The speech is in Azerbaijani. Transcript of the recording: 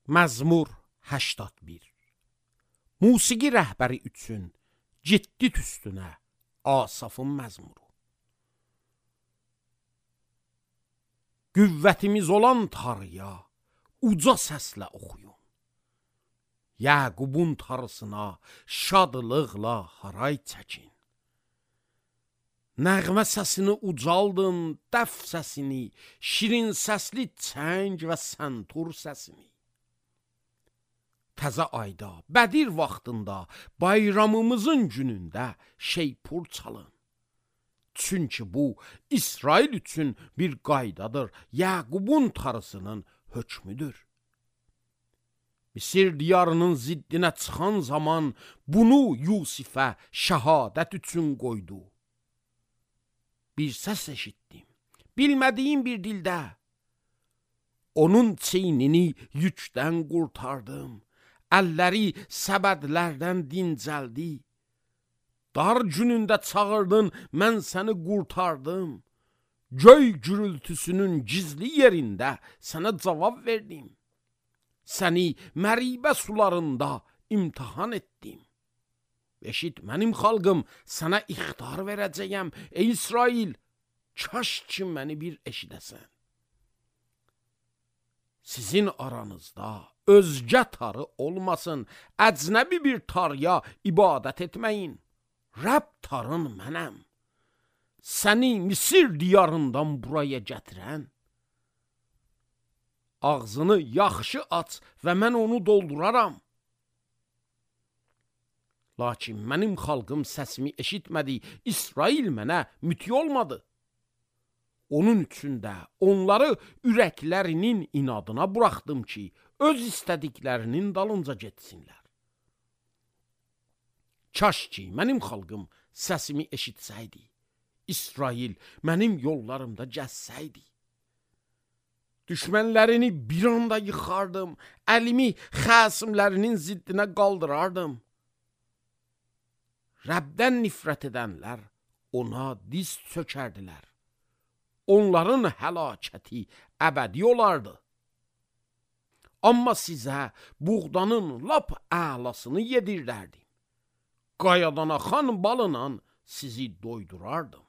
Məzmur 81. Musiqi rəhbəri üçün ciddi tüstünə Asafın məzmuru. Qüvvətimiz olan Tanrıya uca səslə oxuyun. Yaqubun Tanrısına şadlıqla haray çəkin. Nəğmə səsini ucaldın, dəf səsini, şirin səsli çəng və səntur səsini. Təzə ayda, Bədir vaxtında, bayramımızın günündə şeypur çalın. Çünki bu, İsrail üçün bir qaydadır, Yaqubun Tanrısının hökmüdür. Misir diyarının ziddinə çıxan zaman bunu Yusifə şəhadət üçün qoydu. Bir səs eşitdim, bilmədiyim bir dildə. Onun çeynini yükdən qurtardım, əlləri səbədlərdən dincəldi. Dar günündə çağırdın, mən səni qurtardım. Göy gürültüsünün gizli yerində sənə cavab verdim. Səni məribə sularında imtihan etdim. Eşit mənim xalqım, sənə ixtar verəcəyəm. Ey İsrail, kaş ki məni bir eşidəsən. Sizin aranızda özgə tarı olmasın, əcnəbi bir tarıya ibadət etməyin. Rəbb tarın mənəm. Səni Misir diyarından buraya gətirən. Ağzını yaxşı aç və mən onu dolduraram. Lakin mənim xalqım səsimi eşitmədi, İsrail mənə müti olmadı. Onun üçün də onları ürəklərinin inadına buraxdım ki, öz istədiklərinin dalınca getsinlər. Kaş ki, mənim xalqım səsimi eşitsəydi, İsrail mənim yollarımda gəzsəydi. Düşmənlərini bir anda yıxardım, əlimi xəsimlərinin ziddinə qaldırardım. Rəbdən nifrət edənlər ona diz çökərdilər. Onların həlakəti əbədi olardı. Amma sizə buğdanın lap əlasını yedirdərdim. Qayadan axan balına sizi doydurardım.